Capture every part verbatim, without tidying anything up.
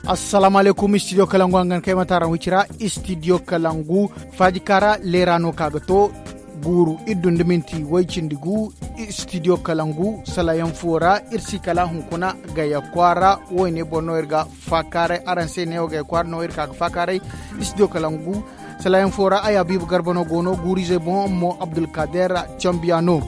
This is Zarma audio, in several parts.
Assalaamu alaykum, studio kalangu hangan kay mataaraŋ wicira. Studio kalangu faaji kaara leera no ka ga to guuru iri dun da minti way cindi gu. Studio kalangu salayaŋ fo ra iri si kala hunkuna gaya kwaara. Wayne boŋ no iri ga faakaaray araŋ se neewo gaya kwaara no iri ka ga faakaaray. Studio kalangu salayaŋ fo ra ay habiibu garba no go no guuru izey boŋ mo abdulkader cambiya no.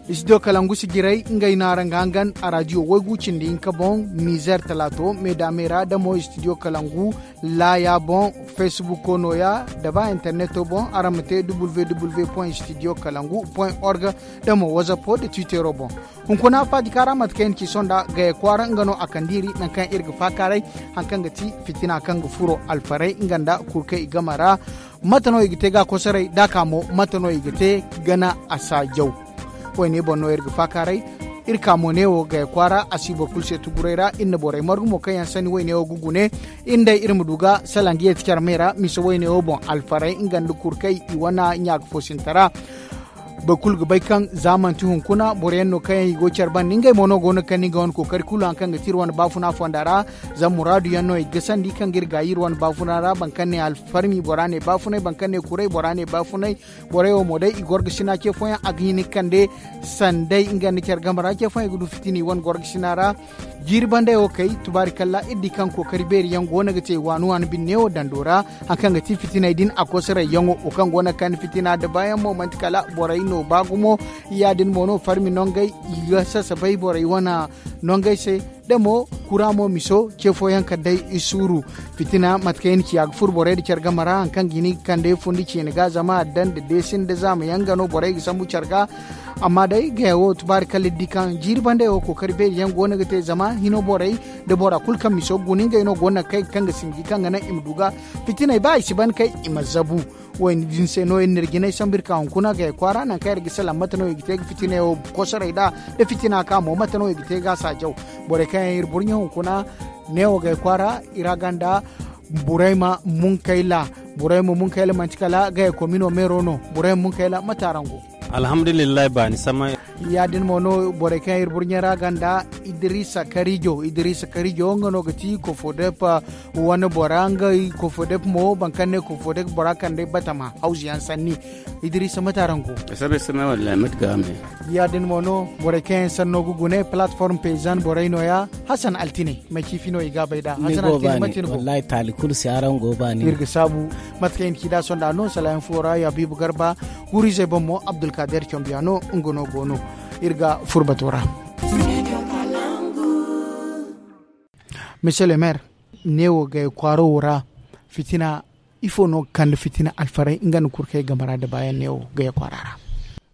Studio kalangu si jiray ngey no araŋ ga hangan a raadiyo waygu cindi hinka boŋ nizer talaato meedaamey ra da mo studio kalangu laaya boŋ. Facebooko nooya da ba interneto boŋ araŋ ma te www point studio kalangu point org da mo whatsapp da twittero boŋ. Hunkuna faajika ra mate kaŋ i na ci sonda gaya kwaara nga no a kand'i iri nangu kaŋ iri ga faakaaray hari kaŋ ga ti fitina kaŋ ga furo alfarey nga nda kurkey i game ra. Mate no i ga te ga kosoray da a ka mo mate no i ga te gana a saajaw? Wayne boŋ no iri ga faakaaray. Iri ka mo neewo gaya kwaara a si boro kulu se tuguray ra iri na borey margu mo kaŋ yaŋ sanni wayne wo ga gune. Iri nd'ey iri ma du ga salaŋ ga yeeti care me ra mise wayne wo boŋ alfarey nga nda kurkey i wane ɲaaka fo sinta ra. Boro kulu ga bay kaŋ za manti hunkuna boro yaŋ no kaŋ yaŋ i go care banda ngey mo no go no ga kande nga wane kookari kulu hari kaŋ ga ti iri wane baafuna fonda ra. Zama muraadu yaŋ no i ga gasandi kaŋ ga iri gaayi iri wane baafuna ra boro kaŋ ne alfarmi bora ne baafunay boro kaŋ ne kuray bora ne baafunay. Borey wo mo day i gorgasina ce fooyaŋ a ga hin ga kande sanday nga nda care game ra ce fooyaŋ i ga du fitina i wane gorgasina ra. Jiiri bandey wo kay tubaari kalla iri di kaŋ kookari beeri yaŋ go no ga te waani waani binne wo dando ra. Hari kaŋ ga ti fitiney din a kosoray yaŋo wo kaŋ go no ga kande fitina da baayaŋ mo manti kala borey no ba gumo. Ya- din mo no farmi nongey i ga sasabay borey wane nongey se. Da mo kura mo miso ce fooyaŋ kala day i suuru fitina mate kaŋ i na ciya ga furo borey nda care game ra hari kaŋ ga hin ga kande fundi ciine ga zama addan nda deesin nda zaama yaŋ ga no borey ga sambu care ga. Amma day gaya wo tubaari kala iri di kaŋ jiiri bandey wo kookari beeri yaŋ go no ga te zama hino borey nda bora kulu kaŋ miso ga guna ngey no go no ga kay ga kaŋ ga sinji kaŋ ga naŋ i ma du ga fitiney ba i si ban kay i ma zabu. Wayne din se no iri na iri jinay sambu iri ka hunkuna gaya kwaara nangu kaŋ iri ga salaŋ mate no i ga te ga fitiney wo kosoray nd'a da fitina ka mo mate no i ga te ga a saajaw. Borey kaŋ yaŋ iri burɲe hunkuna neewo gaya kwaara i ra ganda. Burayma munkayla burayma munkayla manti kala gaya komino meero no. Burayma munkayla mate araŋ go? Alhamdulillahi baani samay. Ya- din mo no borey kaŋ iri burɲe ra ganda. Idrisa karijo idrisa karijo nga no ga ti kofodep wane bora ngey kofodep mo boro kaŋ ne kofodep bora kande batama hawzu yaŋ sanni. Idrisa mate araŋ go? Sabe same wallahi mate ga me. Ya- din mo no borey kaŋ yaŋ sanno ga gune platform paysan borey nooya. Hasan altine may ciifi no i ga a bay nd'a hasan altine mate ni go? Wallahi taali kulu se araŋ go baani iri ga saabu. Mate kaŋ i na ci nd'a sonda no salayaŋ fo ra ya biibu garba. Guuru-izey boŋ mo abdulkader combiya no nga no go no. Iri ga furo bato ra. Monsieur le maire, neewo gaya kwaaro wo ra fitina ifo no ga kande fitina alfaray nga nda kurkey game ra nda baayaŋ neewo gaya kwaara ra?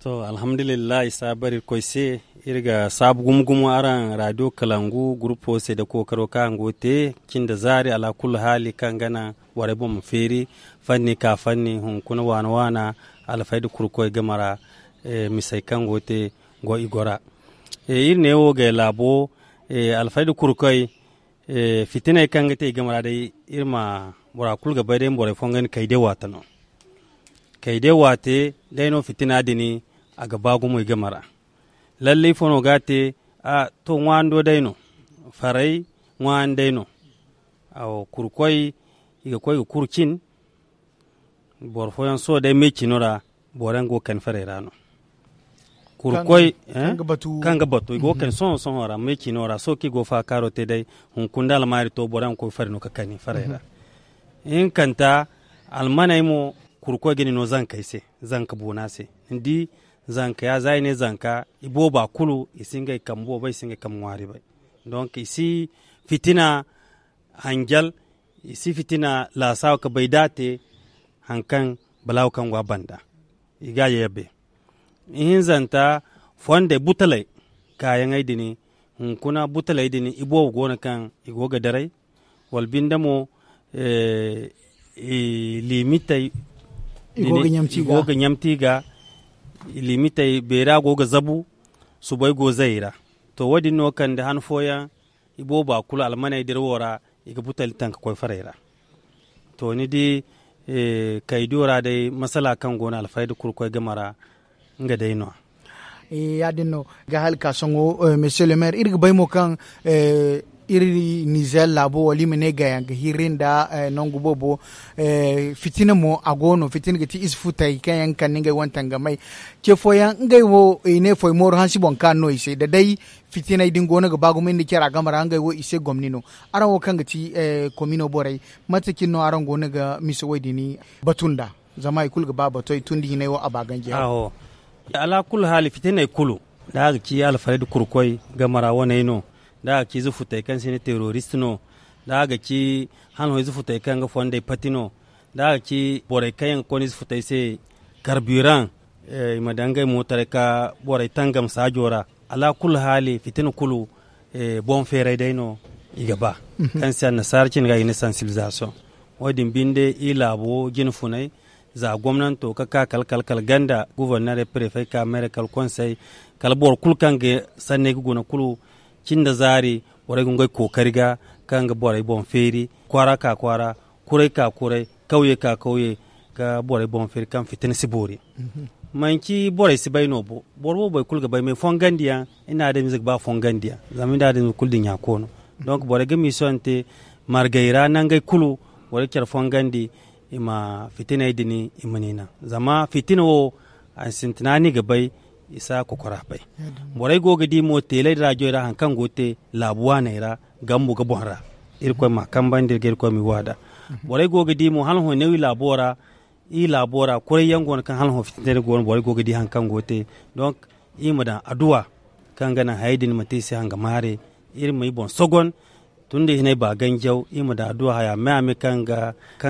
To alhamdulillahi saabari irkoy se. Iri ga saabu gumo gumo araŋ radio kalangu gurupo se nda kookaro kaŋ araŋ go ga te cin nda zaari alaakullu haali kaŋ ga naŋ borey boŋ ma feeri fanni ka fanni hunkuna waana waana alfayda kurkoy game ra. Misey kaŋ go ga te go i go ra. Iri neewo gay laabo alfayda kurkoy fitiney kaŋ ga te i game ra day iri ma bora kulu ga bay day ma borey fongandi kayde waate no. Kayde waate day no fitina din a ga ba gumo i game ra. Lallay ifo no ga a te? To ŋwaando day no. Faray ŋwaani day no. Kurkoy i ga koy ga kuru cin. Boro fooyaŋ sohõ day me cino ra boro yaŋ go ga kani farey ra no. Kurkoy kaŋ ga batu i go ga kani sohõ sohõ ra me cino ra sohõ kaŋ i go ga faakaaro te day. Hunkuna da almaari to boro yaŋ ga koy fari no ga kani farey ra. Ihinkanta almaney mo kurkoy ga ni no zankey se. Zanka boona se ni di. Zanka ya za i ne zanka i booba kulu i si ngey kambe boobo i si ngey kambe ŋwaari bay. Donk i si fitina hanjal i si fitina laasaawa ka bay da a te. Hari kaŋ balaawo kaŋ go a banda i ga a yayabbe. Ihinzanta fondey butaley kaayaŋey din hunkuna butaley din i boobo go no kaŋ i go ga daray. Wala binde mo liimitey i go ga ɲamti i ga liimitey beera go ga zabu. Subay go zay i ra. To wo- din no kande han fooyaŋ i booba kulu almaney dira wo ra i ga butali taŋ ga koy farey ra. To ni di kaydiyo ra day masala kaŋ go no alfayda kurkoy game ra. nga day no ya. Ya- din no ga hala ka sohõ, monsieur le maire, iri ga bay mo kaŋ iri nizer laabo wala i ma ne gayaŋ ga hirri nda nangu boobo. Fitina mo a go no, fitina ga ti ize futey kaŋ yaŋ ga kande ngey wane tangamey. Ce fooyaŋ ngey wo i ne foy mooru hansi boŋ kaanu no i se da day fitiney din go no ga ba gumo iri nda care a game ra ngey wo i se gomni no. Araŋ wo kaŋ ga ti komino borey, mate cine no araŋ go no ga mise wo- din batu nd'a? Zama hari kulu ga ba batoy tun da hinay wo a ba ganji haw. Alaa kulu haali fitiney kulu, da a ga ci alfarayda kurkoy game ra waney no, da a ga ci ize futey kaŋ se i ne terorist no, da a ga ci hala hõ ize futey kaŋ ga fondey pati no, da a ga ci borey kaŋ yaŋ ga konda ize futey se karbiraŋ, i ma daŋ ngey mootaray ka borey tangam saajo ra. Alaa kulu haali fitina kulu boŋ feeray day no i ga ba, kaŋ se annasaara cine ga i ne sansibilizasoŋ. Wo- din binde i laabo jine funay, za gomnanto ga ka kala kala ganda gubornere prefey ka meere kala konsey, kala boro kulu kaŋ ga sanney ga guna kulu, cin da zaari borey ga ngey kookari ga, kaŋ ga borey boŋ feeri kwaara ka kwaara, kuray ka kuray, kawye ka kawye, ga borey boŋ feeri kaŋ fitina si boori. Manci borey si bay no bo, boro boobo boro kulu ga bay me fongandiyaŋ. Iri na adamize ga ba fongandiyaŋ, zama iri na adamize kulu dinya koono. Donk borey ga misiyonte margey ra nangey kulu, borey ga care fongandi, i ma fitiney din i ma ni naŋ. Zama fitina wo, a sintina ni ga bay, i si a kokora bay. Borey go ga di mo teeley da rajoy ra hari kaŋ go ga te laabu waaney ra, gambu ga boŋ ra. Irkoy ma a kambandi iri ga irkoy ma i waada. Borey go ga di mo hala hõ neewi laabo ra, iri laabo ra kuray yaŋ go no kaŋ hala hõ fitinteeri go no borey go ga di hari kaŋ go ga te. Donk iri ma daŋ adduwa kaŋ ga naŋ hayey din ma te i se hanga maare. Iri ma i boŋ sogon, tun da i hinay ba ganjaw, iri ma daŋ adduwa haya me a me kaŋ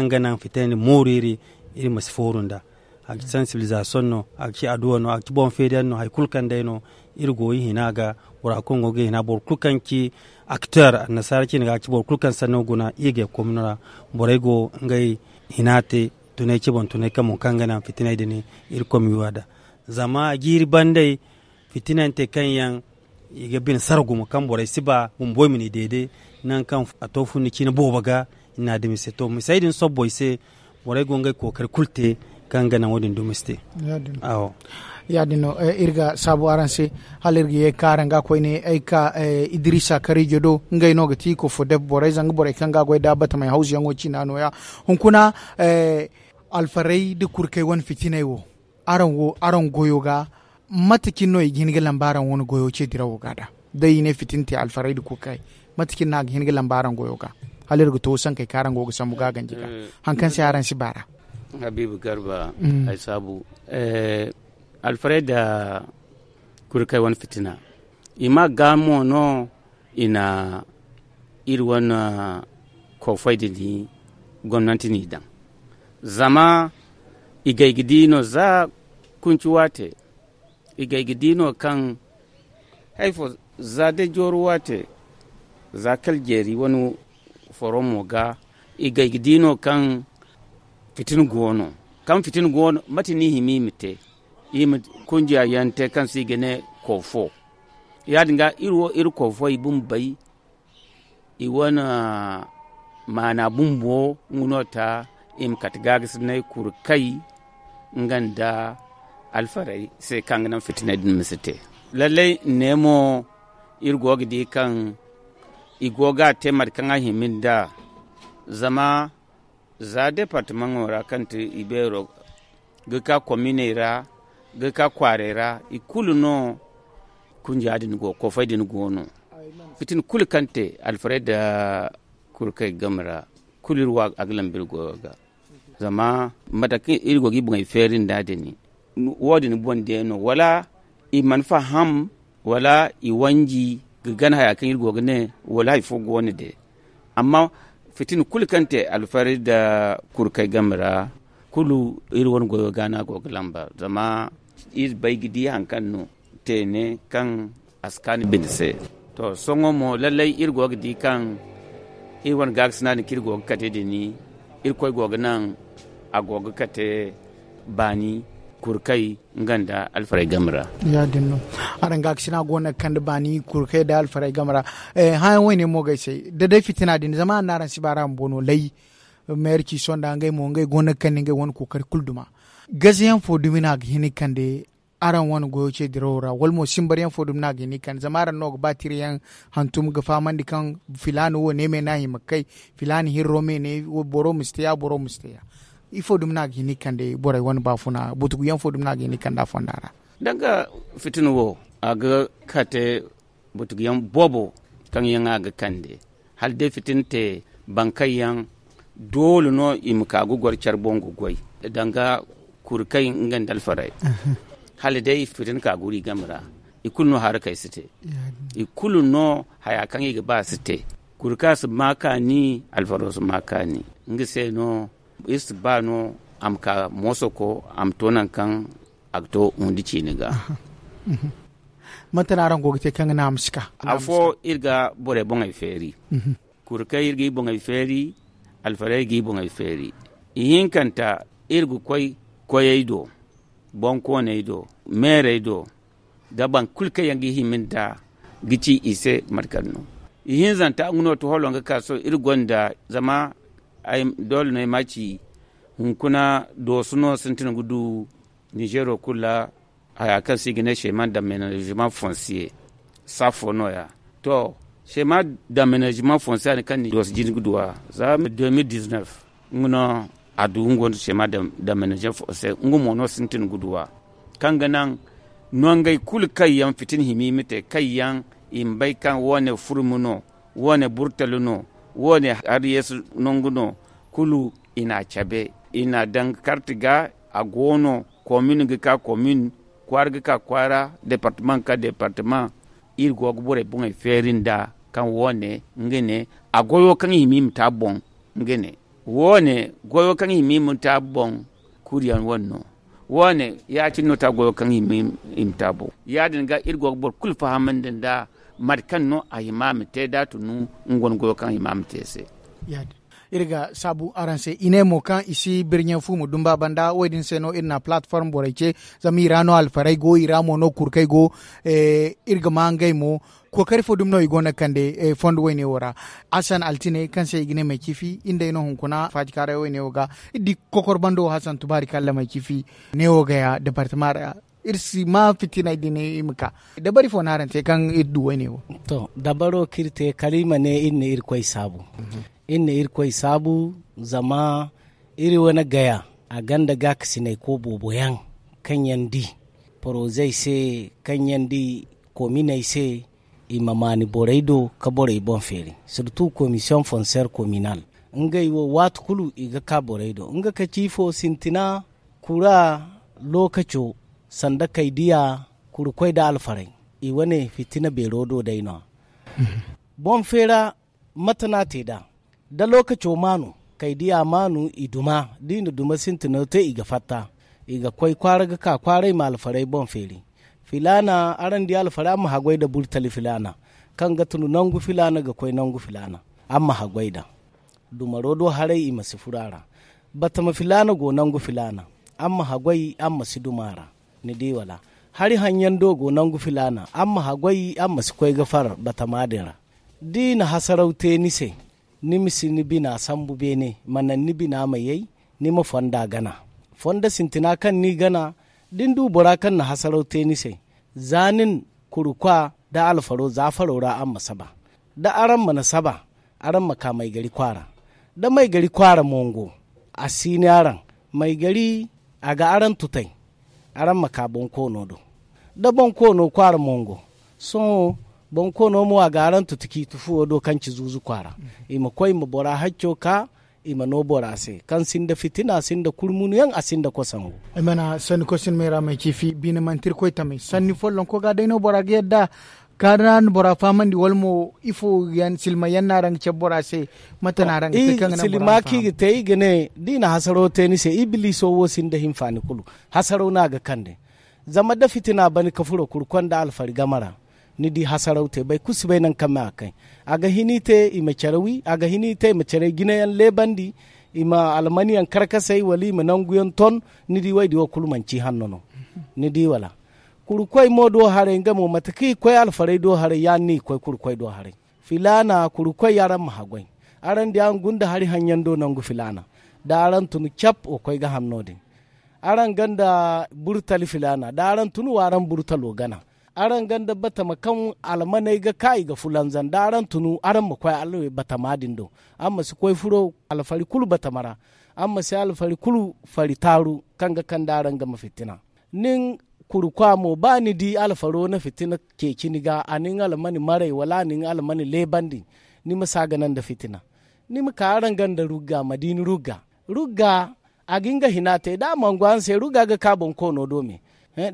ga naŋ fitinay din mooru iri, iri ma si fooru nd'a. A ga ci sansibilizasoŋ no, a ga ci adduwa no, a ga ci boŋ feeriyaŋ no, hari kulu kaŋ day no iri go i hina ga. Bora kulu go ga i hina, boro kulu kaŋ ci akteer annasaara cine ga a ci boro kulu kaŋ sanno guna i ga komino ra. Borey go ngey hina te tunay ci boŋ tunay kaŋ boŋ kaŋ ga naŋ fitinay din iri komiwa da. Zama jiiri bandey fitinante kaŋ yaŋ i ga bine sara gumo kaŋ borey si ba bumbo i ma ni deede, nangu kaŋ a to funni cine boobo ga. Iri na dumi se to misey din sobbo i se. Borey go ngey kookari kulu te kaŋ ga naŋ wo- din dumi si te. Ya- din no iri ga saabu araŋ se, hala iri ga ye ga ka araŋ ga koyne ay ga ka idrisa karijo do. Ngey no ga ti kofo def borey zanga borey kaŋ ga goy da batamey hawzuyaŋo ciina nooya. Hunkuna alfarey nda kurkey wane fitiney wo, araŋ wo araŋ goyo ga, mate cine no i ga hin ga lamba araŋ wane goyo ce dirawo ga da? Day i ne fitina te alfarey nda kurkey, mate cine no a ga hin ga lamba araŋ goyo ga? Hala iri ga to sankey kaŋ araŋ go ga sambu ga ganji ga, hari kaŋ se araŋ si baara. Habiibu garba, ay saabu, alfarey nda kurkey wane fitina, i ma ga mo no i na iri wane koofey din gomnanti n'i daŋ. Zama i gay ga di no za kunci waate, i gay ga di no kaŋ hari fo za day jooru waate, za kala jeeri wane foro mo ga, i gay ga di no kaŋ fitina go no. Kaŋ fitina go no, mate no i hima i ma te? I ma kunjiya yaŋ te kaŋ se i ga ne koofo. Ya- din ga iri wo iri koofo i bumbo bay, i wane maana bumbo nga no ta i ma kate gaagasinay kurkay nga nda alfarey se kaŋ ga naŋ fitiney din ma si te. Lallay ne mo, iri go ga di kaŋ i go ga a te mate kaŋ a hima nd'a. Zama za departamaŋo ra kaŋ ti i beero ga ka kominey ra, ga ka kwaarey ra, i kulu no kunja din go koofey din go no. Fitina kulu kaŋ te alfarey nda kurkey game ra, kulu iri wa a ga lamba iri goyo ga. Zama mate kaŋ iri go ga i boŋey feeri nd'a din, wo- din boŋ day no wala i mana faham, wala i wanji ga gana haya kaŋ iri go ga ne, wala hari fo go no day. Amma fitina kulu kaŋ te alfarey nda kurkey game ra, kulu iri wane goyo ga no a go ga lamba. Zama iri bay ga di hari kaŋ no teene kaŋ a si kaanu bine se. To, sohõ mo lallay iri go ga di kaŋ iri wane gaakasina din kaŋ iri go ga kate din, irkoy go ga naŋ a go ga kate baani kurkay nga nda alfarey game ra. Ya- din no. Araŋ gaakasina go no ga kande baani kurkay nda alfarey game ra. Hããyaŋ wayne mo ga ay se da day fitina din zama araŋ si ba ra bumbo no lay. Meerci sonda ngey mo ngey go no ga kande ngey wane kookari kulu duma. Gazayaŋ fo dumi no a ga hin ga kande Araŋ wane goyo ce dirawo ra wala mo simbar yaŋ fo dumi no a ga hin i kande zama araŋ no ga ba tira yaŋ hantum ga fahamandi kaŋ filaana wo ne me no a hima ga kay, filaana hirro me ne boro ma si te ya boro ma si te ya. Ifo dumi no a ga hin i kande borey wane baafuna butugu yaŋ fo dumi no a ga hin i kande a fonda ra? Danga fitina wo a ga kate butugu yaŋ boobo kaŋ yaŋ a ga kande hala day fitina te baŋ kaŋ yaŋ doole no i ma ka ga goro care boŋ ga goy danga kuri kaŋ nga nda alfarey hala day fitina ka guru i game ra. I kulu no harakey si te i kulu no haya kaŋ i ga ba si te. Kuri kaŋ a si ma kaani alfaro si ma kaani nga se no iri si ba no a ma ka moosoko a ma to nangu kaŋ a ga to hundi ciini ga. Mate no araŋ go ga te kaŋ ga naŋ a ma si ka? Afo iri ga borey boŋey feeri. Kuri kaŋ iri ga i boŋey feeri alfarey ga i boŋey feeri. Ihinkanta iri ga koy koyey do, bonkooney do, meerey do, da boro kulu kaŋ yaŋ ga i hima nda ga ci i se mate kaŋ no. Ihinzanta nga no ti holo nga ka sohõ iri gonda zama doole no ay ma ci hunkuna dooso no sintin ga du ninzeero kulu ra. Haya kaŋ se i ga ne seeman dammenezema fonsiye saafo nooya. To, seeman dammenezema fonsiye a ne kaŋ ni dooso jine ga du a za deux mille dix-neuf nga no a du nga wanda seeman dammenezema fonsiye nga mo no sintin ga du a kaŋ ga naŋ nongey kulu kaŋ yaŋ fitina hima i ma te kaŋ yaŋ i ma bay kaŋ wo- ne furmi no, wo- ne burtali no, wo- ne hari yeesu nangu no. Kulu i n'a cabe i n'a daŋ ga karti ga a go no komin ga ka komin, kwaara ga ka kwaara, departama ga ka departama. Iri go ga borey boŋey feeri nda kaŋ wo- ne nga ne a goyo kaŋ i hima i ma te a boŋ. Nga ne wo- ne goyo kaŋ i hima i ma te a boŋ. Kuri yaŋ wane no wo- ne ya- cine no te a goyo kaŋ i hima i ma te a boŋ. Ya- din ga iri go ga boro kulu fahamandi nda mate kaŋ no a hima a ma te da a tunu nga wane goyo kaŋ a hima a ma te se. Iri ga saabu araŋ se i ne mo kaŋ i si birɲe fu ma dumba banda wo- din se no iri na platform borey ce. Zama i ra no alfarey go i ra mo no kurkey go. Iri ga ma ngey mo kookari fo dumi no i go no ga kande fondo woyne wo ra. Hasan altine kaŋ se i ga ne may ciifi iri nd'ey no hunkuna faajikaaray woyne wo ga. Iri di kokor bando hasan tubaari kalla may ciifi ne wo ga ya departama ra. Iri si ma fitinay din i ma ka dabari fo no araŋ te kaŋ iri du woyne wo? To dabaro kaŋ iri te kala i ma ne iri na irkoy saabu. Iri na irkoy saabu zama iri wane gaya a gonda gaakasinay ko boobo yaŋ kaŋ yaŋ di porozey se, kaŋ yaŋ di kominey se, i ma maani borey do ka borey boŋ feeri. Sirtu komisiyoŋ fonseer kominal ngey wo waati kulu i ga ka borey do nga ka ci ifo sintina kura lookaco sanda kay diya kuri koy nda alfarey. I wane fitina beero do day no- ya boŋ feera. Mate no a te nd'a da lookaco maanu kay diya maanu i duma da i na duma sintino te i ga fatta. I ga koy kwaara ga ka kwaara i ma alfarey boŋ feeri. Filaana araŋ di alfarey araŋ ma haggoy nda burtali filaana kaŋ ga tun nangu filaana ga koy nangu filaana. Araŋ ma haggoy nd'a dumaro do haray i ma si furo a ra. Batama filaana go nangu filaana araŋ ma haggoy araŋ ma si duma a ra. Ni di wala? Hari haŋyaŋ do go nangu filaana araŋ ma haggoy araŋ ma si koy ga far batama din ra. Da i na hasaraw te ni se ni ma si ni bina sambu beene ma naŋ ni bina ma yay. Ni ma fonda gana fondo sintina kaŋ ni gana. Da ni du bora kaŋ na hasaraw te ni se za nin kurukwa nda alfaro za faro ra araŋ ma saba. Da araŋ mana saba araŋ ma ka maygari kwaara. Da maygari kwaara mo ngo a si ni araŋ maygari a ga araŋ tutay. Araŋ ma ka bonkoono do da bonkoono kwaara mo ngo. Sohõ bonkoono mo a ga araŋ tutu ciiti fuwo do kaŋ ci zuuzu kwaara. I ma koy i ma bora hacco ka i ma no bora se kaŋ sinda fitina sinda kurmunu yaŋ a sinda kosangu. Ay mana sanni koy sinda mayra may ciifi bine manti irkoy tamay sanni follonko ga day no bora ga yadda ka da na bora fahamandi wala mo ifo yaŋ silma yaŋ no araŋ ga cabe bora se? Mate no araŋ ga te kaŋ ga naŋ bora ma fahamandi? Silma kaŋ i ga te i ga ne da i na hasaro te ni se ibiliso wo sinda hinfaani kulu. Hasaro no a ga kande zama da fitina bani ka furo kurkoy nda alfari game ra. Ni di hasaraw te boro kulu si bay nangu kaŋ me a ga kay. A ga hin i te i ma care wi a ga hin i te i ma care jinayaŋ leebandi. I ma almaniyaŋ karkasay wala i ma nanguyaŋ ton. Ni di wo- din wo kulu manci hanno no. Ni di wala? Kurkoy mo do haray nga mo mate kaŋ i koy alfarey do haray ya- din no i koy kurkoy do haray. Filaana kurkoy araŋ ma haggoy. Araŋ di araŋ gunda hari haŋyaŋ do nangu filaana da araŋ tun cap wa koy ga haŋ no- din. Araŋ ganda burtali filaana da araŋ tun wa araŋ burtalo gana. Araŋ ganda batama kaŋ almaney ga ka i ga fulanzan da araŋ tun, araŋ ma koy alwe batama din do. Araŋ ma si koy furo alfari kulu batama ra. Araŋ ma si alfari kulu fari taaru kaŋ ga kande araŋ game fitina. Nin kurukwa mo ba ni di alfaro na fitina ceeci ni ga, a nin almani maray wala a nin almani leebandi, ni ma si a gana nda fitina. Ni ma ka araŋ ganda rugga ma di ni rugga. Rugga a ga nga hina te da a mangu araŋ se rugga ga ka boŋ koono do me.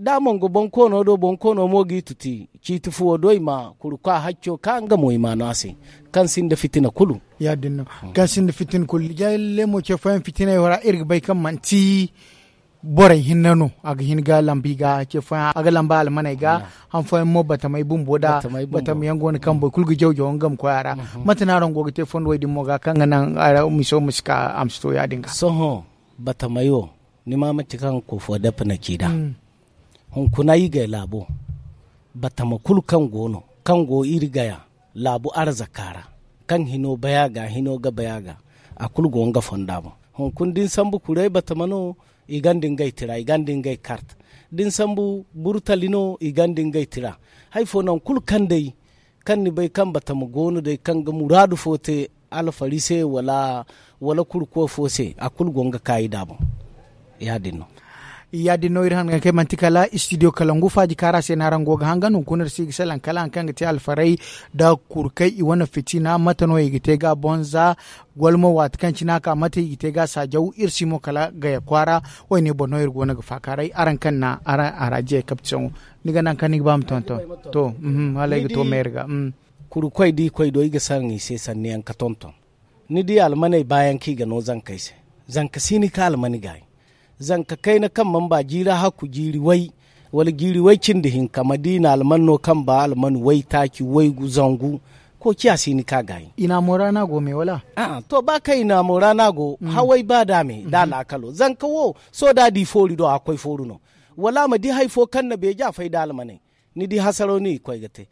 Da a mangu boŋ koono do boŋ koono mo g'i tuti ciiti fuwo do i ma kurukwa hacco ka nga mo i ma no a se, kaŋ sinda fitina kulu. Ya- din no. Kaŋ sinda fitina kulu jahilley mo ce fooyaŋ fitiney wo ra iri ga bay kaŋ manti borey hinne no. A ga hin ga lamba i ga ce fooyaŋ a ga lamba almaney ga. Han fooyaŋ mo batamey bumbo da batama yaŋ go no kaŋ boro kulu ga jaw jaw nga ma koy a ra. Mate no araŋ go ga te fondo wo- din mo ga kaŋ ga naŋ miso ma si ka a ma si to ya- din ga? Sohõ batamey wo ni ma manti kaŋ koofo dappe na ci nd'a. Hunkuna i gay laabo batama kulu kaŋ go no kaŋ go iri gaya laabu arzaka ra, kaŋ hino bay a ga hino ga bay a ga, a kulu go nga fonda boŋ. Hunkuna da ni sambu kuray batama no, i gonda ngey tira i gonda ngey kart. Da ni sambu burtali no, i gonda ngey tira. Hari fo nangu kulu kaŋ day kaŋ ni bay kaŋ batama go no day kaŋ ga muraadu fo te alfari se wala kurko fo se, a kulu go nga kaayi nd'a boŋ. Ya- din no. Ya- din no iri hangan kaŋ ay manti kala istidiyo kalangu faaji kaara se no araŋ go ga hangan hunkuna iri si ga salaŋ kala hari kaŋ ga te alfaray nda kurkey i wane fitina mate no i ga te ga bonza? Wala mo waati kaŋ cine a ka mate i ga te ga saajaw iri si mo kala gaya kwaara. Wo- ne boro no iri go no ga faakaaray araŋ kaŋ na araŋ a ra jiyey kapti saŋo. Ni ga naŋ kaŋ ni ga ba ma tonton? To. Hala ay ga to meeri ga. Kurkoy da i koy do i ga saraŋ i se sanniyaŋ ka tonton. Ni di almaney baayaŋ kaŋ i ga no zankey se. Zanka si ni ka almani gaayi. Zanka kayna kaŋ mana ba jiiri hakku jiiri way wala jiiri way cindi hinka ma di i na alman no kaŋ ba alman waytaaci waygu zangu. Koociya si ni ka gaayi. I naamo ra no a go me wala? A'a to ba kaŋ i naamo ra no a go haway ba da me da laakalo zanka wo. Sohõ da a di foori do a koy fooru no. Wala a ma di hari fo kaŋ na beeji a fay da almaney. Ni di hasaro no i koy ga te.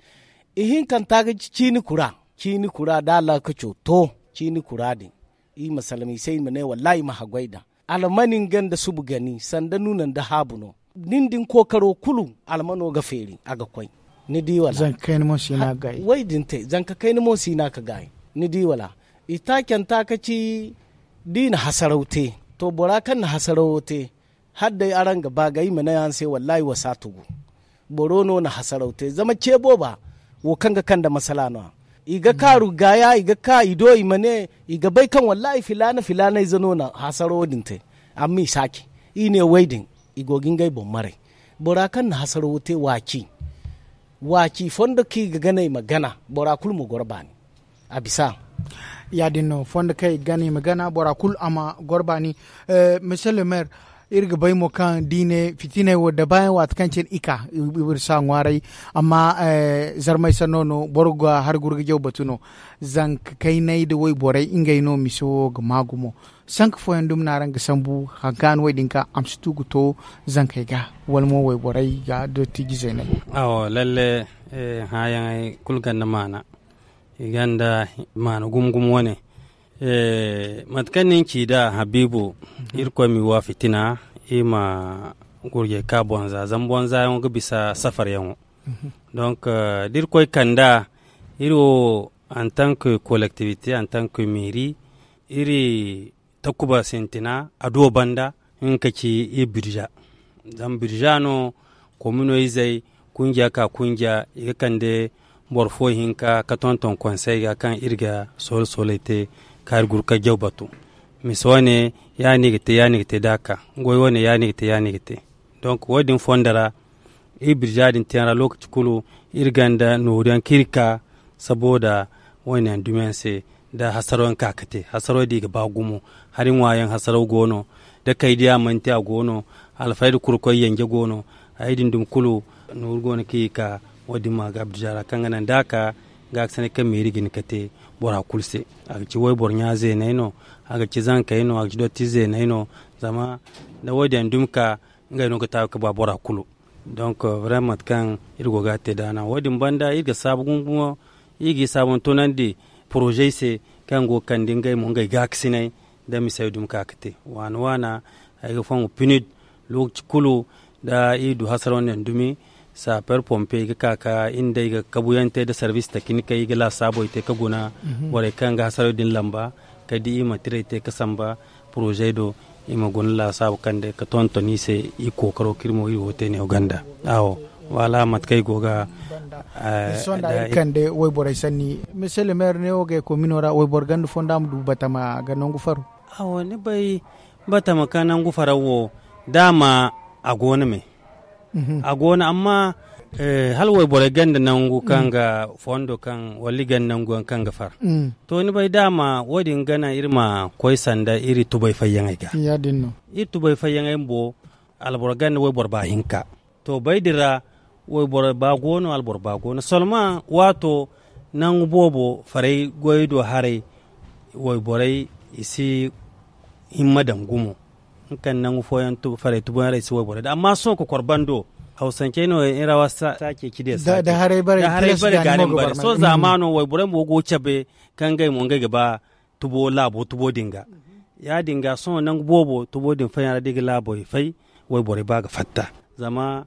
Ihinkanta ga ci ciini kura. Ciini kura da a laakaco to ciini kura din. I ma salma i se i ma ne wallaahi i ma haggoy daŋ. Almani nga nda subu gani sanda nuuna nda haabu no. Nin din kookaro kulu almano ga feeri a ga koy. Ni di wala? Zanka kayna mo si no a ga gaayi. Way din te zanka kayna mo si no a ga gaayi. Ni di wala? I taacanta ka ci da i na hasaraw te. To bora kaŋ na hasarawo te hala day araŋ ga ba ga i ma ne araŋ se wallaahi wa si a tugu. Boro no na hasaraw te zama ce booba wo kaŋ ga kande masala no- ya. I ga kaaru gaaya i ga ka i do i ma ne i ga bay kaŋ wallaahi filaana filaana ize no na hasarawo din te. Amma i si a ci i ne way din i go ga ngey boŋ maray. Bora kaŋ na hasarawo te waaci waaci fondo kaŋ i ga gana i ma gana bora kulu ma goro baani. A bisa. Ya- din no fondo kaŋ i ga gana i ma gana bora kulu a ma goro baani. Monsieur le maire, iri ga bay mo kaŋ da i ne fitiney wo da baayaŋ waati kaŋ cine i ka iri si a ŋwaaray. Amma zarmay sanno no boro ga hari gurgajaw batu no. Zanka kaynay nda wayborey ngey no mise wo ga maa gumo. Sanka fooyaŋ dumi no araŋ ga sambu hari kaŋ a na wo- din ka a ma si tu ga to zankey ga wala mo wayborey ga dottiijizey no ay. Awo lalle. Hããyaŋey kulu gonda maana. I gonda maana gumo gumo wane. Mate kaŋ ni na ci nd'a habiibu, irkoy m'i wa fitina. I ma gurjey ka bonza zama bonzayaŋo ga bisa safaryaŋo. Donk da irkoy kand'a iri wo antank kolektivite antank meeri iri takuba sintina a do banda. Nga ka ci iri birza zama birza no komino izey kunja ka kunja i ga kande boro fo hinka ka tonton konsey ga kaŋ iri ga soole sooley te ka iri guru ka jaw batu. Mise wane ya- no i ga te ya- no i ga te da a ka goy wane ya- no i ga te ya- no i ga te. Donk wo- din fondo ra iri birza din teyaŋ ra lokaci kulu iri gonda nooru yaŋ kaŋ iri ka sabooda wo- ne yaŋ dumi yaŋ se. Da hasaro yaŋ ka ga te hasaro din i ga ba gumo. Hari ŋwa yaŋ hasaro go no da kay diya mana te a go no. Alfayda kurkoy yanje go no. Hayey din dumi kulu nooru go no kaŋ i ga ka wo- din ma ga birza ra kaŋ ga naŋ da a ka ga ga sanay kaŋ meeri ga hin ka te bora kulu se. A ga ci wayboro ɲa zeeney no a ga ci zankey no a ga ci dotti zeeney no. Zama da wo- din yaŋ dumi ka ngey no ga taabi ka ba bora kulu. Donk vraiment mate kaŋ iri go ga a te da a naŋ wo- din banda iri ga saabu gumo gumo iri ga i saabu ma tunandi porozey se kaŋ go ga kande ngey mo ngey gaakasinay da misey dumi ka ga te waana waana. Ay ga fongu pinid. Lokaci kulu da i du hasaro nda dumi, saper pompe i ga ka ka iri nda i ga kabuyaŋ te nda sarbis takinikey i ga laasaabo i te ka guna borey kaŋ ga hasaro din lamba, kala da i ma tirey te ka samba poroze do, i ma guna laasaabo kaŋ day ka tonton i se. I kookaro kaŋ iri mo iri wo te neewo ganda. Awo, wala mate kaŋ i go ga sonda iri kande wayborey sanni. Monsieur le maire neewo ga ay komino ra wayboro ganda fo nda a ma du batama ga nangu faro? Awo, ni bay batama ka nangu faro wo, daama a go no me. A go no amma hala wayborey ganda nangu kaŋ ga fondo kaŋ wala i ganda nangu yaŋ kaŋ ga far. To ni bay daama wo- din ga naŋ iri ma koy sanda iri tubay fayyaŋey ga. Iri tubay fayyaŋey bumbo, alboro ganda wayboro ba hinka. To bay din ra wayboro ba go no alboro ba go no solma waato nangu boobo faray goy do haray, wayborey i si himma daŋ gumo. Nga kaŋ nangu fooyaŋ faray tuboyaŋ ra i si wayborey da amma sohõ kokor bando hawsancey no iri ra wasa sa ceeci day sa da haray bare ga ni ma bare sohõ zaamaano wayborey mo go ga cabe kaŋ ngey mo ngey ga ba tubo laabo tubo din ga. Ya- din ga sohõ nangu boobo tubo din fayyaŋ ra da i ga laabo i fay, wayborey ba ga fatta zama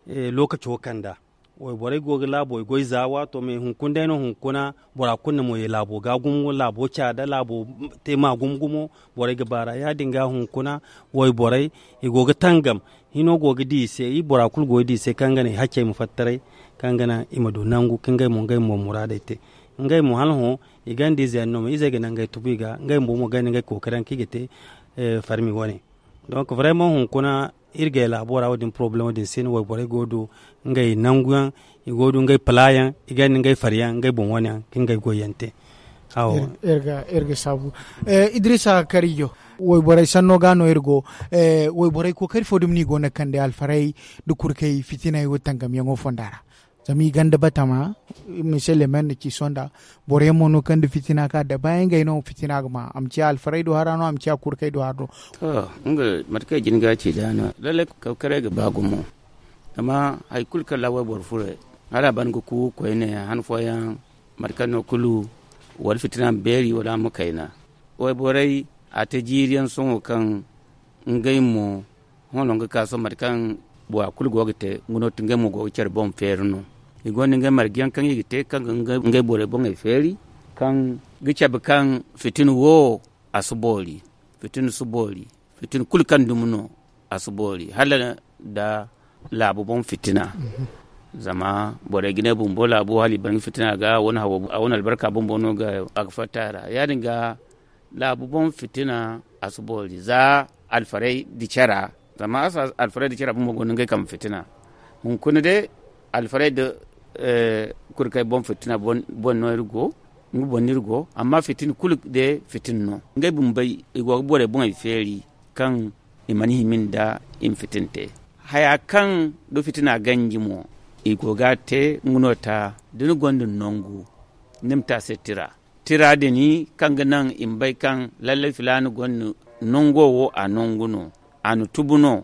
lookaco kanda. Wayborey go ga laabo i goy za waato me hunkuna day no hunkuna bora kulu na mo ye laabo ga gumo laabo caada laabo te ma gumo gumo. Borey ga baara ya- din ga hunkuna wayborey i go ga tangam. Hino go ga di i se i bora kulu go ga di i se kaŋ ga naŋ i haccey ma fattaray, kaŋ ga naŋ i ma du nangu ka ngey mo ngey mo muraadey te. Ngey mo hala hõ i ganda ize yaŋ no ma izey ga naŋ ngey tubu i ga ngey bumbo mo ganda ngey kookari yaŋ kaŋ i ga te. Farmi wane. Donk vraymaŋ hunkuna iri gay laabo ra wo- din porobalemo din se no wayborey go ga du ngey nangu yaŋ, i go ga du ngey pala yaŋ, i ganda ngey fari yaŋ ngey boŋ wane yaŋ ka ngey goy yaŋ te. Iri ga saabu. Idrisa karijo, wayborey sanno ga no iri go. Wayborey kookari fo dumi no i go no ga kande alfarey nda kurkey fitiney wo tangamyaŋo fonda ra. Zama i ganda batama, mise lemen na ci sonda. Boro yaŋ mo no kaŋ da fitina ka dabaayaŋ ngey no fitina ga ma a ma ciya alfarey do hara no a ma ciya kurkey do hara no. To, nga mate kaŋ i jin ga ci da no lallai kawkaray ga ba gumo. Zama hari kulu kaŋ ra wayboro furo hala a ban ga ku koyne han fooyaŋ mate kaŋ no kulu wala fitina ma beeri wala a ma kayna. Wayborey a te jiiri yaŋ sohõ kaŋ ngey mo hõ no nga ka sohõ mate kaŋ bora kulu go ga te nga no ti ngey mo go ga care boŋ feeri no. I gonda ngey marje yaŋ kaŋ i ga te kaŋ ga ngey borey boŋey feeri kaŋ ga cabe kaŋ fitina wo a si boori. Fitina si boori. Fitina kulu kaŋ dumi no a si boori hala nda laabu boŋ fitina. Zama borey ga ne bumbo laabu hala i ban ga fitina ga a wane albarka bumbo no ga a ga fatta a ra ya- din ga laabu boŋ fitina a si boori za alfarey di cara. Zama alfarey di cara bumbo go no ngey kambe fitina. Hunkuna day alfarey da kurkey boŋ fitina boŋ no iri go. Nga boŋ no iri go amma fitina kulu day fitina no ngey bumbey i go ga borey boŋey feeri kaŋ i mana hima nda i ma fitina te. Haya kaŋ da fitina ganji mo i go ga a te nga no ta da ni gonda nangu ni ma te a se tira. Tira din kaŋ ga naŋ i ma bay kaŋ lallai filaana gonda nango wo a nangu no a na tubu no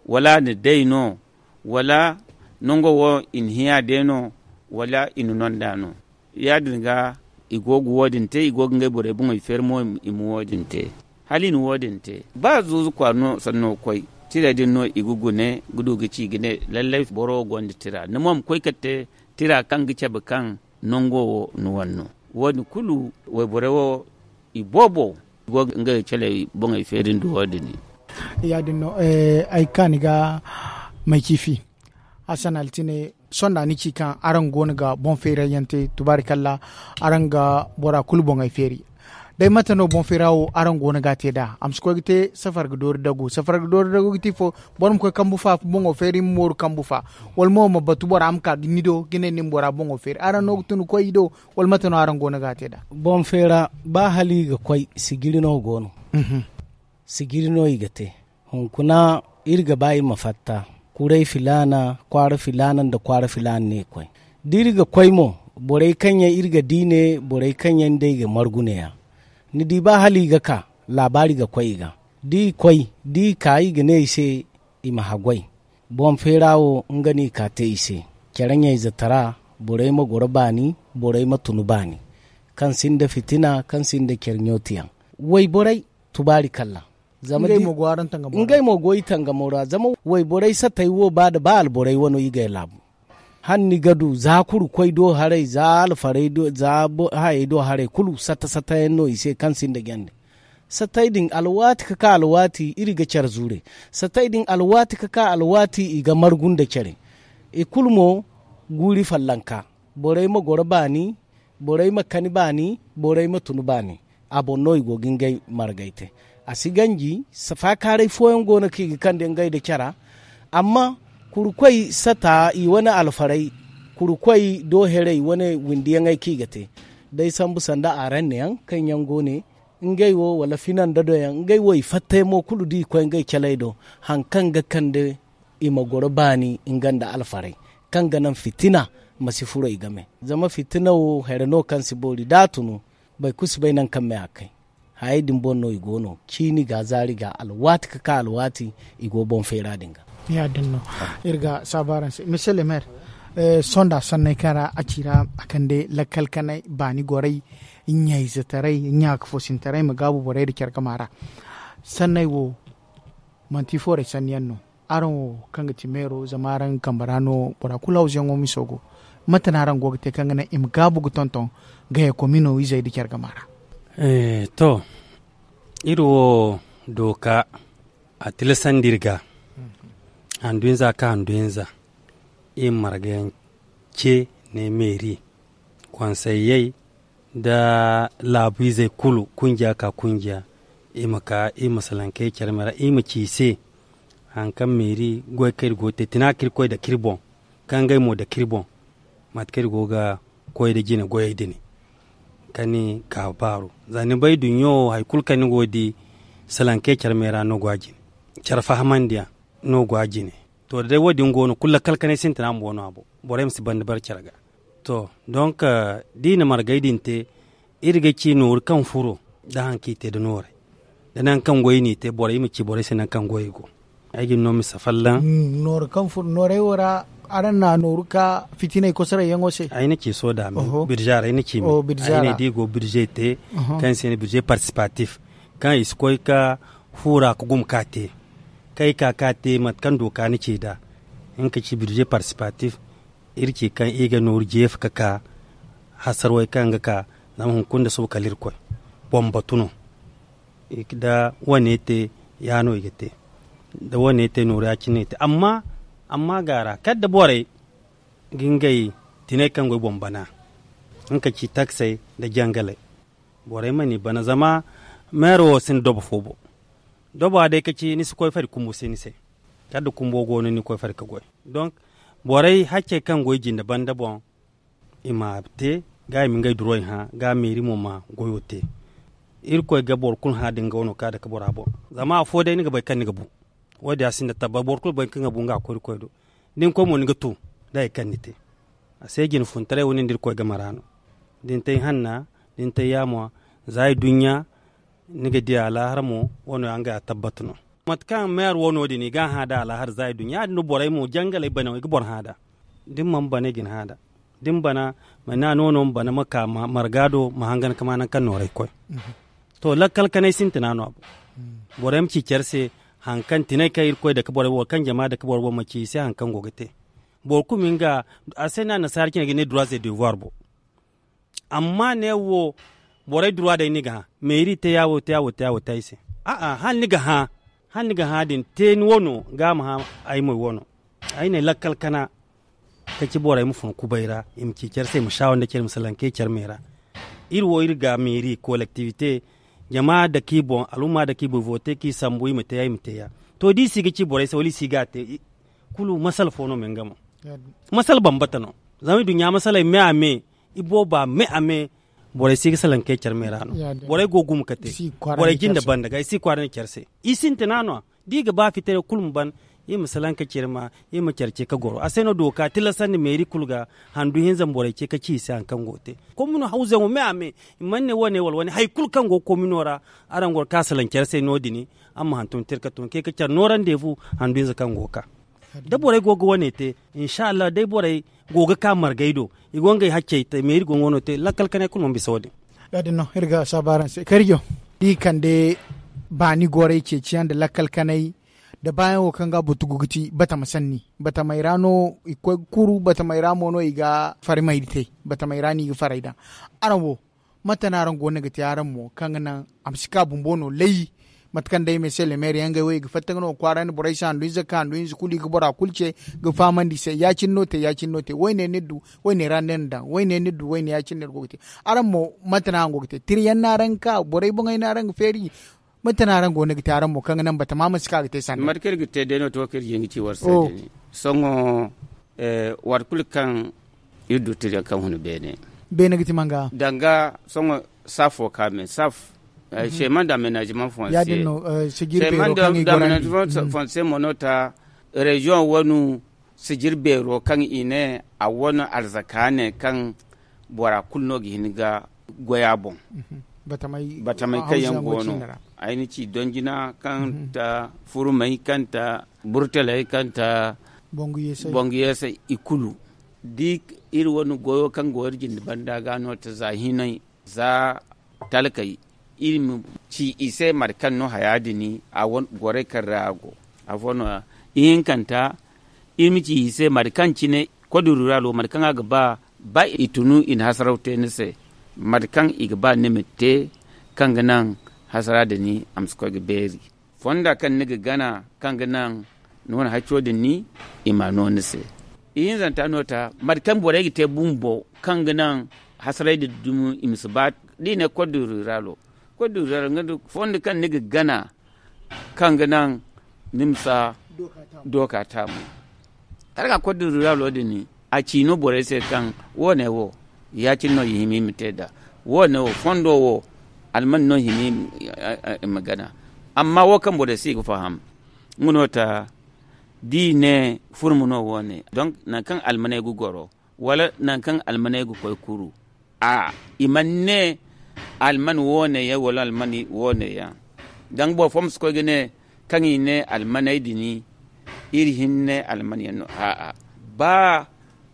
wala a na day no wala nango wo i na hiya day no wala i na nonda no. Ya- din ga i go ga wo- din te i go ga ngey borey boŋey feeri mo i ma wo- din te. Hala i na wo- din te ba zuuzu kwaara no sanno ga koy tira din no i ga gune ga du ga ci ga ne lallai boro wo gonda tira ni mo ma koy kala te tira kaŋ ga cabe kaŋ nango wo ni wane no. Wo- din kulu wayborey wo i boobo i go ga ngey caley boŋey feeri nda wo- din. Ya- din no ay ga ka ni ga may ciifi. Hasan altine sonda ni ci kaŋ araŋ go no ga boŋ feerayyaŋ te tubaari kalla araŋ ga bora kulu boŋey feeri. Day mate no boŋ feera wo araŋ go no ga a te nd'a a ma si koy ga te safar ga doori dagu safar ga doori dagu ga ti fo? Boro ma koy kambu fa boŋo feeri ma mooru kambu fa wala mo ma batu bora ma ka ni do ga ne ni ma bora boŋo feeri araŋ no ga tun ga koy i do? Wala mate no araŋ go no ga a te nd'a? Boŋ feera ba hala i ga koy sijiri no go no. Sijiri no i ga te. Hunkuna iri ga ba i ma fatta kuray filaana kwaara filaana nda kwaara filaana no i koy. Da iri ga koy mo borey kaŋ yaŋ iri ga di ne borey kaŋ yaŋ day ga margu ne- ya ni di ba hala i ga ka laabaari ga koy i ga. Da i koy da i ka i ga ne i se i ma haggoy. Boŋ feera wo nga no i ka te i se care ɲayze tara borey ma goro baani borey ma tun baani kaŋ sinda fitina kaŋ sinda care ɲootiyaŋ. Wayborey tubaari kalla. Ngey mo go i tangamo ra zama wayborey satey wo ba da ba alborey wano i gay laabu. Hala ni ga du za kuru koy do haray za alfaray do za hayey do haray kulu sata sata yaŋ no i se kaŋ sinda jande. Satey din alwaati ka ka alwaati iri ga care zuure. Satey din alwaati ka ka alwaati i ga margu nda care. I kulu mo guuri fallanka. Borey ma goro baani. Borey ma kani baani. Borey ma tun baani. A boŋ no i go ga ngey margay te. A si ganji. Faakaaray fooyaŋ go no kaŋ i ga kande ngey nda cara. Amma kurukoy sata i wane alfaray. Kurukoy do herey wane windiyaŋey kaŋ i ga te. Day sambu sanda aranne yaŋ kaŋ yaŋ go ne ngey wo wala finanda do yaŋ ngey wo i fattay mo kulu da i koy ngey caley do. Hari kaŋ ga kande i ma goro baani nga nda alfaray kaŋ ga naŋ fitina ma si furo i game. Zama fitina wo here no kaŋ si boori da a tunu. Boro kulu si bay nangu kaŋ me a kay. Hayey din boŋ no i go no ciini ga zaari ga alwaati ka ka alwaati. I go boŋ feera din ga. Ya- din no iri ga saabu araŋ se monsieur le maire. Sonda sanney kaŋ ra a ci ra a kande lakkal kanay baani gorey ɲayzetaray ɲaaka foosintaray ma gaabu borey nda care gama ra. Sanney wo manti foorey sanni yaŋ no. Araŋ wo kaŋ ga ti meero zama araŋ kambe ra no bora kulu hawzuyaŋo miso go. Mate no araŋ go ga te kaŋ ga naŋ i ma gaabu ga tonton gaya komino izey nda care gama ra? To, iri wo dooka a tilasandi iri ga handu hinza ka handu hinza. Iri ma marga yaŋ ce ne meeri konseyyey nda laabu izey kulu kunjiya ka kunjiya. Iri ma ka iri ma salankey care me ra iri ma ci i se hari kaŋ meeri goy kaŋ iri go ga te tina kaŋ iri koy dake iri boŋ kaŋ ngey mo dake iri boŋ. Mate kaŋ iri go ga koy nda jine goyey din kaŋ ni ga baaru za ni bay duɲɲo wo hari kulu kaŋ ni go ga di salankey care me ra no go a jine. Care fahamandiyaŋ no go a jine. To da day wo- din go no kulu lakkal kanay sintina bumbo no a boŋ. Borey ma si banda bare care ga. To donk da i na margay din te iri ga ci nooru kaŋ furo nda hari kaŋ i te nda noorey nda nangu kaŋ goy no i te borey ma ci borey se nangu kaŋ goyey go. Ay ga ni no misa folloŋ. Nooru kaŋ furo noorey wo ra araŋ na nooru ka fitiney kosorey yaŋo se? Ay na ci soda me birze ra ay na ci me ay ne da i go birze te kaŋ se i ne birze participatif kaŋ i si koy ga fuura ga guma ka te kaŋ ay ka ga te mate kaŋ dooka ni ci nd'a. Nga ka ci birze participatif iri ci kaŋ i ga nooru jeefa ga ka hasarwey kaŋ ga ka zama hunkuna nda suba kala irkoy boŋ batu no. Da wane te ya no i ga te da wane te nooru ya- cine i te amma amma gaara kala da borey ga ngey tinay kaŋ go i boŋ bana nga ka ci taksey nda jangaley. Borey mana i bana zama meero wo sinda dobo fo boŋ. Doba day ka ci ni si koy fari kumbu se ni se. Kala da kumbo go no ni koy fari ga goy. Donk borey haccey kaŋ go i jinde banda boŋ i ma te ga i ma ngey duroy hã ga meeri mo ma goyo te. Irkoy ga boro kulu hã da nga wano ka dake bora boŋ. Zama afo day ni ga bay kaŋ ni ga bu. Wo- din a sinda tabbat boro kulu ga bay kaŋ ga bu nga a koy irkoy do. Da ni koy mo ni ga tu da hari kaŋ ni te. A se jine funtaray wo nin da irkoy game ra no. Da ni te ay hanna da ni te ay yaamo za ay duɲɲa ni ga di alaahara mo wo no ya nga ya tabbat no. Mate kaŋ meyer wo no- din i ga a hã nd'a alaahara za ay duɲɲa ya- din no borey mo jangaley bana i ga boro hã nd'a. Da ni mana bana i ga ni hã nd'a da ni bana ma ne a no no ma bana ma ka marga do ma hangan ga ma nangu kaŋ noorey koy. To lakkal kanay sintina no a boŋ. Borey ma ci care se hari kaŋ tinay kaŋ irkoy dake borey boŋ wala kaŋ jama dake borey boŋ ma ci i se hari kaŋ go ga te. Boro kulu ma nga a se no annasaara cine ga ne droits et devoirs boŋ. Amma ne wo borey droit day ni ga hã meeri te ya wo te ya wo te ya wo te ay se. A'a hala ni ga hã hala ni ga hã din te ni wano ga a ma hã ay moy wano. Ay ne lakkal kana ka ci borey ma fun kubay ra i ma ci care se i ma saawa nda care i ma salankey care me ra. Iri wo iri ga meeri kolektivite jama dake i boŋ alhumma dake i boŋ i vote kaŋ i sambu i ma te ya i ma te ya. To da i si ga ci borey se wala i si ga a te kulu masala fo no me nga mo. Masala bambata no zama i duɲɲa masaley me a me i booba me a me. Borey si ga salankey care me ra no. Borey go ga guma ka te borey jinde banda ga i si kwaara ne care se. I sintina no a da i ga ba fitare kulu ma ban i ma salankey care ma i ma care ce ka goro a se no dooka tilasandi meeri kulu ga handu hinza ma borey ce ka ci i se hari kaŋ go ga te. Komino hawzayaŋo me a me i mana ne wane wala wane hari kulu kaŋ go ga komino ra. Araŋ goro ka salaŋ care se no- din araŋ ma hantum te iri ka tun kay ka care noorandi fu handu hinza kaŋ go ga ka da borey go ga wane te. Insa allah day borey go ga ka margay do i go ngey haccey te meeri go nga wano te lakkal kanay kulu mana bisa wo- din. Ya- din no iri ga saabu araŋ se karijo da i kande Baani gorey ceeciyaŋ nda lakkal kanay nda baayaŋo kaŋ ga butugu ga ti batama sanni. Batamey ra no i ga koy ga kuru batamey ra mo no i ga farmey te. Batamey ra no i ga farey daŋ. Araŋ wo mate no araŋ go no ga te araŋ mo kaŋ ga naŋ a ma si ka bumbo no lay? Mate kaŋ day mese lemeeri yaŋ gay wo i ga fatta ga no kwaara nda borey se handu ize ka handu hinza kulu i ga bora kulu ce ga fahamandi i se ya- cine no te ya- cine no te. Woyne ni du woyne ra ni na daŋ woyne ni du woyne ya- cine no iri go ga te. Araŋ mo mate no araŋ go ga te tira yaŋ no araŋ ga ka borey boŋey no araŋ ga feeri? Mate no araŋ go no ga te araŋ mo kaŋ ga naŋ batama ma si ka ga te sanda? Mate kaŋ iri ga te day no to kaŋ iri jin ga ci war se day ne. Sohõ waati kulu kaŋ iri du tira yaŋ kaŋ hun beene. Beene ga ti manga? Danga sohõ saf wo ka me saf. Seeman da amenaziman fonse seeman da amenaziman fonse mo no ta reziyoŋ wano sijir beero kaŋ i ne a wane arzaka ne kaŋ bora kulu no ga hin ga goy a boŋ. Batamey kaŋ yaŋ go no ay na ci donjina kaŋ ta furmey kaŋ ta burtaley kaŋ ta bongu yeesey i kulu da iri wane goyo kaŋ go iri jinde banda ga no ta za hinay za talkey iri ma ci i se mate kaŋ no haya din a wane gorey kaŋ ra a go. Afo no ya ihinkanta iri ma ci i se mate kaŋ cine kodururalo mate kaŋ a ga ba ba i tunu i na hasaraw te ni se mate kaŋ i ga ba ni ma te kaŋ ga naŋ hasara din a ma si koy ga beeri fonda kaŋ ni ga gana kaŋ ga naŋ ni wane hacco din ni i ma no ni se. Ihinzanta no ta mate kaŋ borey ga te bumbo kaŋ ga naŋ hasaray din dumi i ma si ba da i ne kodururalo kodururalo nga da fondo kaŋ ni ga gana kaŋ ga naŋ ni ma si a dooka taamu. Kala ga kodururalo din a ci no borey se kaŋ wo- ne wo ya- cine no i hima i ma te nd'a. Wo- ne wo fondo wo alman no i hima i ma gana. Amma wo kaŋ borey se i ga faham nga no ta da i ne furma no wo- ne donk nangu kaŋ almaney ga goro wala nangu kaŋ almaney ga koy kuru a i mana ne alman wo- ne yaŋ wala alman wo- ne yaŋ. Danga boro fo ma si koy ga ne kaŋ i ne almaney din iri hinne alman yaŋ no a'a ba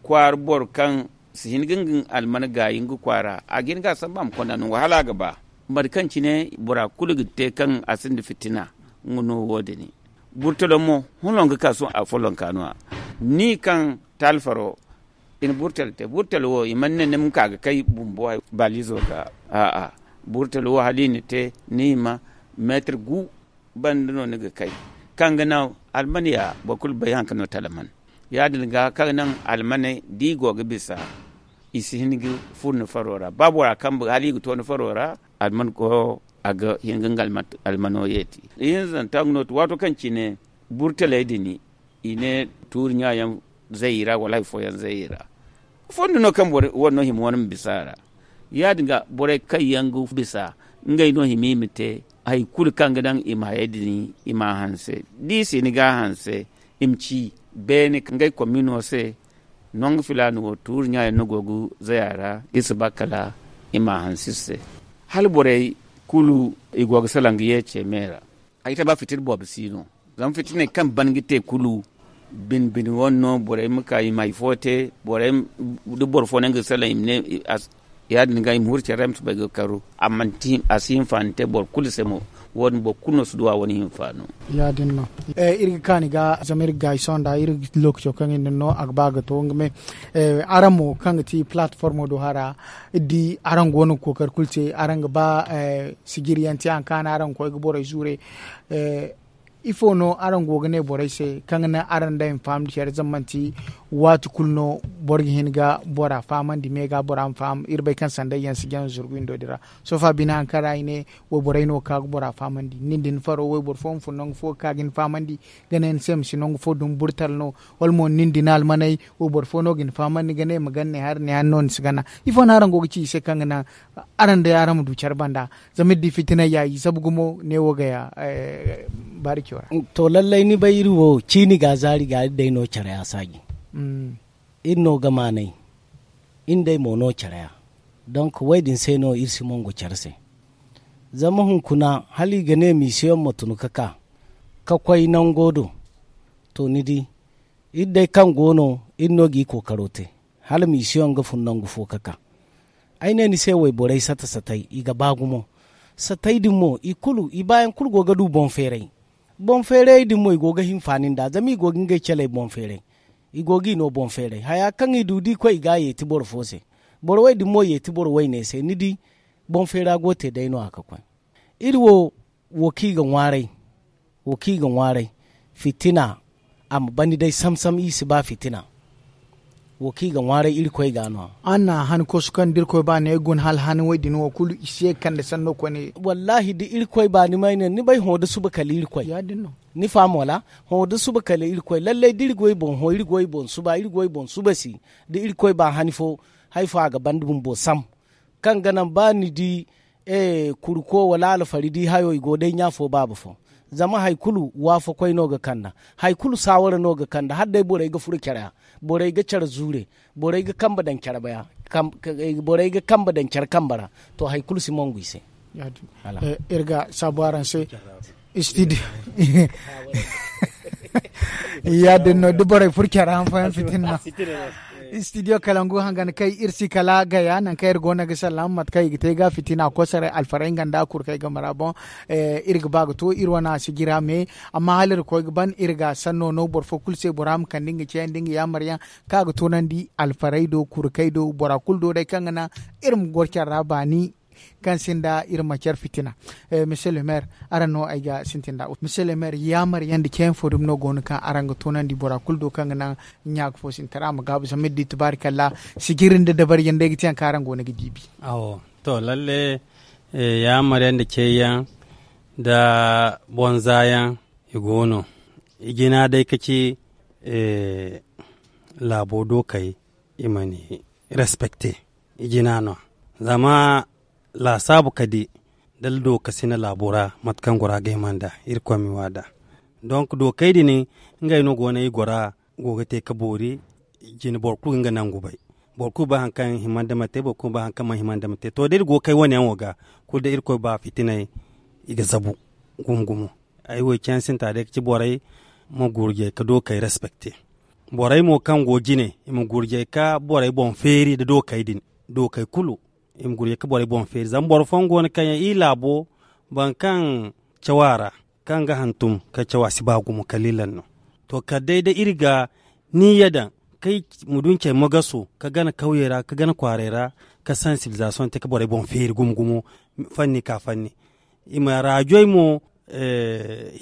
kwaara boro kaŋ si hin ga nga alman gaayi nga kwaara a ga hin ga a samba a ma konda nangu hala a ga ba mate kaŋ cine bora kulu ga te kaŋ a sinda fitina. Nga no wo- din burtalo mo huna nga ka sohõ a follonka no- ya ni kaŋ taali faro i na burtal te burtal wo i mana ne ni ma ka ga kay bumbo balizo ga a'a burtal wo hala i na te ni hima meetar gu banda no ni ga kay kaŋ ga naŋ almaniya boro kulu bay hari kaŋ no talaman ya- din ga kaŋ ga naŋ almaney da i go ga bisa i si hin ga furo ni faro ra ba bora kambe hala i ga to ni faro ra alman go a ga hin ga nga almano yeeti. Ihinzanta nga no waato kaŋ cine burtaley din i ne tuuri ɲa yaŋ zay i ra wala hari fooyaŋ zay i ra. Fondo no kaŋ boro wane no hima wane ma bisa a ra ya- din ga borey kaŋ yaŋ ga bisa ngey no hima i ma te hari kulu kaŋ ga daŋ i ma hayey din i ma a hanse da i si ni ga a hanse i ma ci beene ngey komino se. Nangu filaana wo tuuri ɲa yaŋ no go ga zay a ra iri si ba kala i ma a hanse iri se. Hala borey kulu i go ga salaŋ ga ye ce me ra. Ay ta ba fitina boobo si no zama fitiney kaŋ ban ga te kulu bine bine wane no borey ma ka i ma hari fo te borey da boro fo no nga ga salaŋ i ma ne ya- din ga i ma huru care ra ay ma si bay ga karu a si hinfaani te boro kulu se mo. Wo- din boro kulu no si duw'a wane hinfaano. Ya- din no iri ga kaani ga zama iri ga gaayi sohõ nda iri ga lookaco kaŋ iri na no a ga ba ga to nga me. Araŋ mo kaŋ ga ti palatformo do hara iri di araŋ go no ga kookari kulu te araŋ ga ba sijiri yaŋ te hari kaŋ araŋ ga koy ga borey zuure. Ifo no araŋ go ga ne borey se kaŋ ga naŋ araŋ day ma fahamandi care zama manti waati kulu no boro ga hin ga bora fahamandi me ga bora ma faham iri bay kaŋ sanday yaŋ si jaŋ zurgu windo din ra. Sofa bine hari kaŋ ra i ne wayborey no ga ka ga bora fahamandi nin da ni faro wayboro fo ma fun nangu fo ga ka ga ni fahamandi ga ne ni se ma si nangu fo dumi burtal no wala mo nin da ni almaney wayboro fo no ga ni fahamandi ga ne ma gana ne hari ne hari no ni si gana. Ifo no araŋ go ga ci i se kaŋ ga naŋ araŋ day araŋ ma du care banda zama iri di fitinay ya i zabu gumo ne wo ga ya. Baarico ra. To lallay ni bay iri wo ciini ga zaari ga iri day no care ya saaji. Iri no ga maanay iri nd'ey mo no care ya. Donk wo- din se no iri si mongo care se zama hunkuna hala i ga ne misiyoŋ ma tun ga ka ka koy nango do. To ni di iri day kaŋ go no iri no ga i kookaro te hala misiyoŋ ga fun nangu fo ga ka. Ay ne ni se wayborey sata satay i ga ba gumo. Satey din mo i kulu i baayaŋ kulu go ga du boŋ feeray. Boŋ feerayey din mo i go ga hinfaani nd'a zama i go ga ngey caley boŋ feeray. I go g'i no boŋ feeray haya kaŋ i du da i koy i ga a yeeti boro fo se. Boro wey din mo yeeti boro wayne se ni di. Boŋ feera go te day no- ya ga koy. Iri wo wo kaŋ i ga ŋwaaray. Wo kaŋ i ga ŋwaaray fitina a ma bandi day sam-sam i si ba fitina. Wo kaŋ i ga ŋwaaray irkoy ga no- ya. Araŋ na han koosu kaŋ da irkoy ba no ay guna hala han wo- din wo kulu i si ye ga kande sanno koyne. Wallaahi da irkoy ba ni ma ay ne ni bay hõ da suba kala irkoy. Ni faham wala? Hõ da suba kala irkoy lallay da iri go i boŋ hõ iri go i boŋ suba iri go i boŋ suba si. Da irkoy ba hani fo hari fo a ga banda bumbo sam. Kaŋ ga naŋ ba ni di kurko wala alfari di hayo i go day ɲa fo baaba fo. Zama hari kulu waafakoy no ga kand'a. Hari kulu saawara no ga kand'a hala day borey ga furo care ra. Borey ga care zuure. Borey ga kambe daŋ care baya. Borey ga kambe daŋ care kambe ra. To hari kulu si mongu i se. Iri ga saabu araŋ se. Istidiyo ya- din no da borey furo care ra han fooyaŋ fitina no. Istidiyo kalangu hangan kay iri si kala gaya nangu kaŋ iri go no ga sallama mate kaŋ i ga te ga fitina kosaray alfarey nga nda kurkey game ra boŋ. Iri ga ba ga to iri wane a si jira me. Amma hala iri koy ga ban iri ga sanno no boro fo kulu se bora ma kande nga ceeyandi nga yaamaryaŋ kaŋ a ga toonandi alfarey do kurkey do bora kulu do day kaŋ ga naŋ iri ma goro care ra baani. Kaŋ sinda iri ma care fitina. Misiye le maire araŋ no ay ga sintin nd'a misiye le maire yaamaryaŋ nda ceeyaŋ fo dumi no go no kaŋ araŋ ga toonandi bora kulu do kaŋ ga naŋ ɲa ga fo sintin ra a ma gaabu zama iri di tabaarikalla. Sijiri nda dabariyaŋ day ga te yaŋ kaŋ araŋ go no ga diibi. To lalle yaamaryaŋ nda ceeyaŋ nda bonzaayaŋ i go no. I jina day ka ci laabo dookey i ma ni respekte. I jina no zama laasaabu ka di dala dookasina laabo ra mate kaŋ gora ga hima nd'a. Irkoy ma i waada. Donk dookey din ngey no go no i gora go ga te ka boori. Jine boro kulu ga nga nangu bay. Boro kulu bay hari kaŋ hima nda ma te boro kulu bay hari kaŋ mana hima nda ma te to da iri go ga kay wane yaŋo ga kulu da irkoy ba fitiney i ga zabu. Gumo gumo ay wo i cayaŋ sinta day ga ci borey ma gurjay ka dookey respekte. Borey mo kaŋ go jine i ma gurjay ka borey boŋ feeri nda dookey din. Dookey kulu i ma gurjay ka borey boŋ feeri zama boro fooyaŋ go no kaŋ yaŋ iri laabo boro kaŋ caw a ra kaŋ ga hantum ka caw a si ba gumo kalilan no. To kala day da iri ga ni ya daŋ kay muduncey mogaso ka gana kawyey ra ka gana kwaarey ra ka sansibilizasoŋ te ka borey boŋ feeri gumo gumo. Fanni ka fanni i ma raajoy mo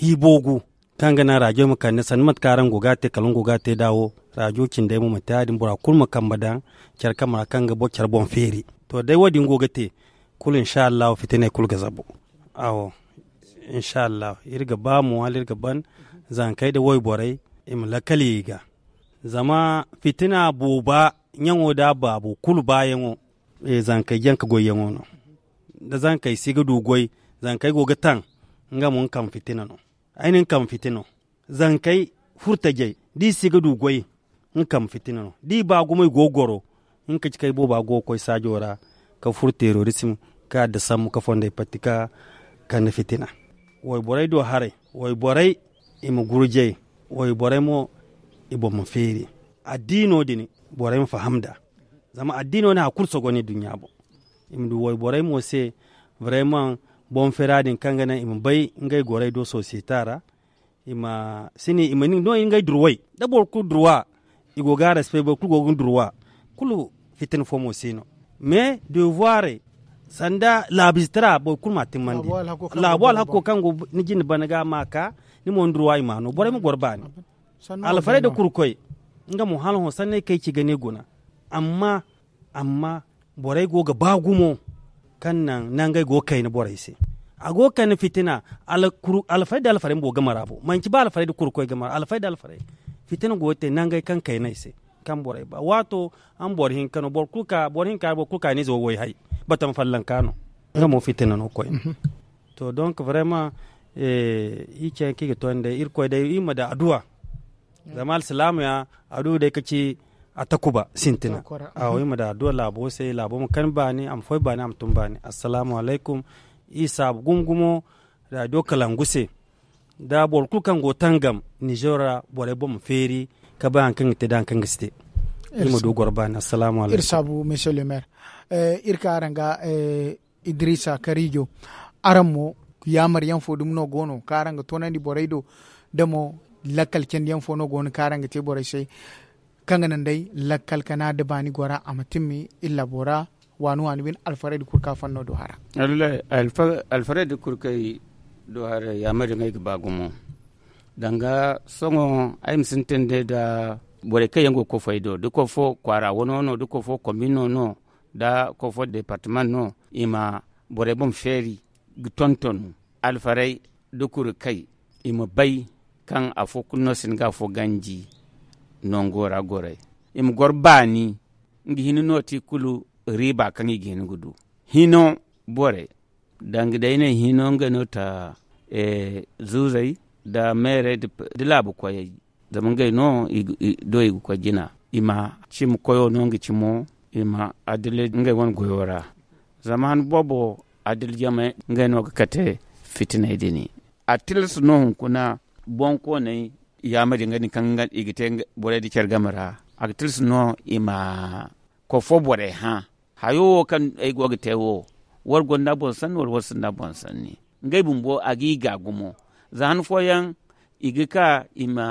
hiiboogu kaŋ ga naŋ raajo ma kande sanda mate kaŋ araŋ go ga a te kala nga go ga a te nd'a wo. Raajo cindey mo ma te ya- din bora kulu ma kambe daŋ care kambe ra kaŋ ga care boŋ feeri. To day wo- din go ga te kulu insa allahu fitiney kulu ga zabu. Awo insa allahu iri ga ba mo hala iri ga ban zankey nda wayborey i ma lakkal ye i ga. Zama fitina booba ɲaŋo nda a baabo kulu baayaŋo zankey janka goyyaŋo no. Da zankey si ga du goy zankey go ga taŋ nga mo nga kambe fitina no. Ay na nga kambe fitina no. Zankey furtajey da i si ga du goy nga kambe fitina no da i ba gumo i go ga goro. Nga ka ci kaŋ ay booba go ga koy saajo ra ka furo terorisim ka adda sambu ka fondey patti ka kande fitina. Wayborey do haray wayborey i ma gurjay. Wayborey mo i boŋ ma feeri addiino din borey ma faham nd'a. Zama addiino no hari kulu sogo no i duɲɲa boŋ. I ma du wayborey mo se vraymaŋ boŋ feera din kaŋ ga naŋ i ma bay ngey gorey do sosiyeta ra. I ma si ne i ma ni no ngey durway da boro kulu durwa. I go ga respect boro kulu go ga ni durwa. Kulu fitina fo mo si no mais devoirey sanda laabu ize tara boro kulu m'a timmandi. Laabu alhakko kaŋ go ni jinde bana ga ma ka ni mo ni durwa i m'a no borey ma goro baani. Alfarey nda kurkoy nga mo hala hõ sanney kaŋ ay ci ga ne guna. Amma amma borey go ga ba gumo kaŋ naŋ nangey go ga kayna borey se. A go ga kayna fitina. Alfarey nda alfarey ma go ga mara bo manci ba alfarey nda kurkoy ga mara alfarey nda alfarey. Fitina go ga te nangey kaŋ kayney se kaŋ borey ba waato. Araŋ boro hinka no boro kulu ka ni ize wo goy hay batama fallanka no. Nga mo fitina no koy. To donk vrayman iri ce yaŋ kaŋ i ga to ni day irkoy day iri ma daŋ adduwa. Zama alsilaama ya adduwa day ka ci a takuba sintina. Awo iri ma daŋ adduwa laabo se laabo ma kani baani a ma foy baani a ma tun baani. Assalaamu alaykum. Iri saabu gumo gumo raadiyo kalangu se. Da boro kulu kaŋ go tangam nizer ra borey boŋ ma feeri ka bay hari kaŋ ga te da hari kaŋ ga si te. Iri ma du goro baani assalaamu alaykum. Iri saabu monsieur le maire. Iri ka araŋ ga idrisa karijo. Araŋ mo, yaamar yaŋ fo dumi no go no kaŋ araŋ ga toonandi borey do? Da mo, lakkal candi yaŋ fo no go no kaŋ araŋ ga te borey se, kaŋ ga naŋ day lakkal kana da baani gora a ma timmi illa bora, waani waani bine alfarey da kurka fanno do hara. Alfarey da kurkey do hara yaamar yaŋ ay ga ba gumo. Danga sohõ ay ma sintin day da borey kaŋ yaŋ go ga koy fo ay do da koy fo kwaara wano no da koy fo kombino no da koy fo departament no, i ma borey boŋ feeri ga tonton alfarey da kurkey, i ma bay kaŋ afo kulu no si hin ga afo ganji nango ra gorey. I ma goro baani nga hina no ti kulu riiba kaŋ i ga hin ga du. Hino borey danga day ne hino nga no ta zuuzey da meerey da laabu koyey. Zama ngey no do i ga koy jina i ma cimi koyo no nga cimo i ma adilay ngey wane goyo ra. Zama han boobo adilay jamey ngey no ga kate fitiney din. A tilas no hunkuna boŋkooney yaamari nga din kaŋ i ga te borey da care game ra. A ga tilas no i ma koy fo borey hã hayo wo kaŋ ay go ga te wo, war gonda boŋ sanni wala war sinda boŋ sanni? Ngey bumbo a ga i ga gumo. Za han fooyaŋ i ga ka i ma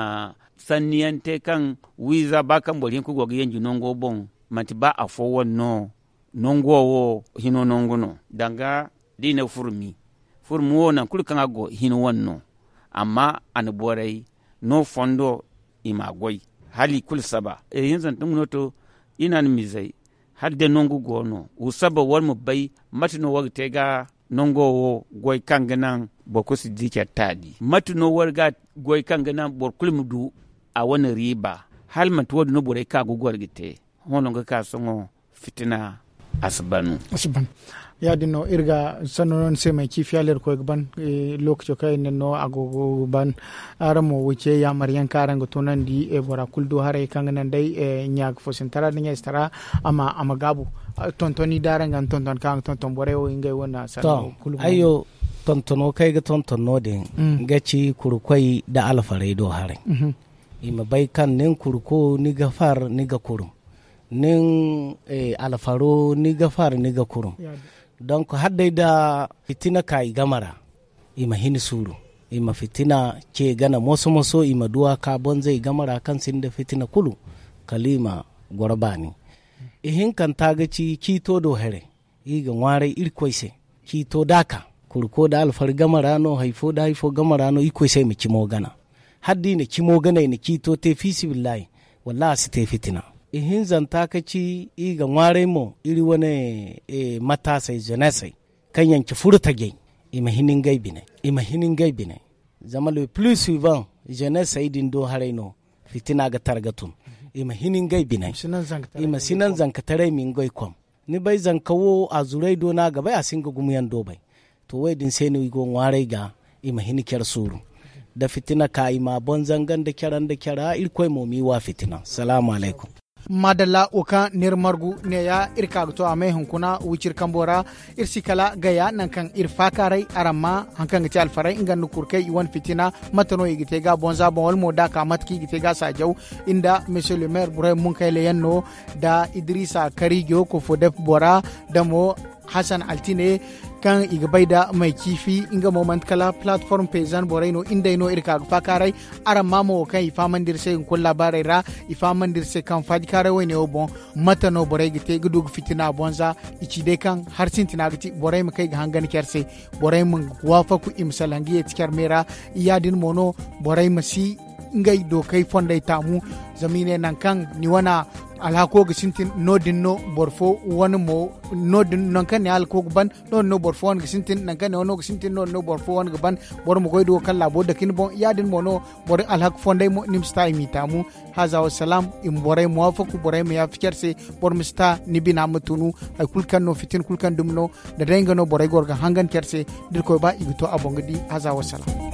sanniyaŋ te kaŋ wiiza ba kaŋ boro hinka go ga yanji nango boŋ, manti ba afo wane no nango wo hino nangu no. Danga da i ne furmi furmi wo nangu kulu kaŋ a go hino wane no. Amma a na borey no fondo i ma a goy hala i kulu saba. Ihinzanta nga no to i na a na mizey hala day nangu go no wa saba war ma bay mate no war ga te ga nango wo goy kaŋ ga naŋ boro kulu si di care taadi? Mate no war ga goy kaŋ ga naŋ boro kulu ma du a wane riiba? Hala manti wo- din no borey ka ga goro ga te hõ no ga ka sohõ fitina a si ban. Ya- din no iri ga sanno no ni se may ciifi hala iri koy ga ban. Lookaco kaŋ iri na no a go ga ban. Araŋ mo wo ce yaamar yaŋ kaŋ araŋ ga toonandi bora kulu du haray kaŋ ga naŋ day ɲa ga fo sintara nda ɲayzitara a ma gaabu. Tontoni da araŋ ga ni tonton kaŋ a ga tonton borey wo ngey wo na sanno kulu go. Ayyo, tontono kaŋ ay ga tonton no- din ga ci kurkoy nda alfarey do haray. I ma bay kaŋ nin kurko ni ga far ni ga kurum, nin alfaro ni ga far ni ga kurum. Donk hala day nda fitina ka i game ra, i ma hin suuru, i ma fitina ce gana moso moso i ma duwa ka bonzey game ra kaŋ sinda fitina kulu, kala i ma goro baani. Ihinkanta ga ci ciito do here. I ga ŋwaaray irkoy se ciito da a ka kurko nda alfari game ra no hari fo nda hari fo game ra no irkoy se i ma cimo gana. Hala da i na cimo gana i na ciito te fiisabilillahi, wallahi a si te fitina. Ihinzanta ka ci i ga ŋwaaray mo iri wane mataasey zenesey kaŋ yaŋ ci furtajey, i ma hin ngey biney. I ma hin ngey biney. Zama le plis suivan zenesey din do haray no fitina ga tara ga tun. I ma hin ngey biney. I ma si naŋ zankataray ma ngey kom. Ni bay zanka wo a zuray do no a ga bay a si nga gumo yaŋ do bay. To wo- din se no i go ŋwaaray ga i ma hin care suuru. Da fitina ka i ma a boŋ zanga nda care nda care irkoy mo m'i wa fitina. Salaamu alaykum. Maadalla wo kaŋ n'iri margu neeya iri ka ga to a may hunkuna wiciri kambo ra. Iri si kala gaya nangu kaŋ iri faakaaray araŋ ma haŋ kaŋ ga te alfaray nga nda kurkey i wane fitina. Mate no i ga te ga bonza boŋ wala mo da a ka mate kaŋ i ga te ga saajaw. Nda monsieur le maire burayma munkayla yaŋ no nda idrisa karijo kofodep bora nda mo hasan altine kaŋ i ga bay nda may ciifi nga mo manti kala platform paysan borey no nga day no iri ka ga faakaaray. Araŋ ma mo wo kaŋ i fahamandi iri se hunkuna laabaarey ra i fahamandi iri se kaŋ faajikaaray wayne wo boŋ mate no borey ga te ga du ga fitina a bonza. I ci day kaŋ hari sintina ga ti borey ma kay ga hangan care se. Borey ma waafaku i ma salaŋ ga yeeti care me ra. Ya- din mo no borey ma si ngey dookey fondey taamu. Zama i ne nangu kaŋ ni wane alhako ga sintin no- din no boro fo wane mo no- din nangu kaŋ ni alhako ga ban no- din no boro fo wane ga sintin nangu kaŋ ni wano ga sintin no- din no boro fo wane ga ban. Boro ma goy da wo kaŋ laabo dake ni boŋ ya- din mo no boro alhaka fondey mo ni ma si ta i m'i taamu. Haza wassalam. I ma borey muwafaku borey ma yaafa care se. Boro ma si ta ni bina ma tunu. Hari kulu kaŋ no fitina kulu kaŋ dumi no da day nga no borey goro ga hangan care se. Da irkoy ba i ga to a boŋ ga di haza wassalam.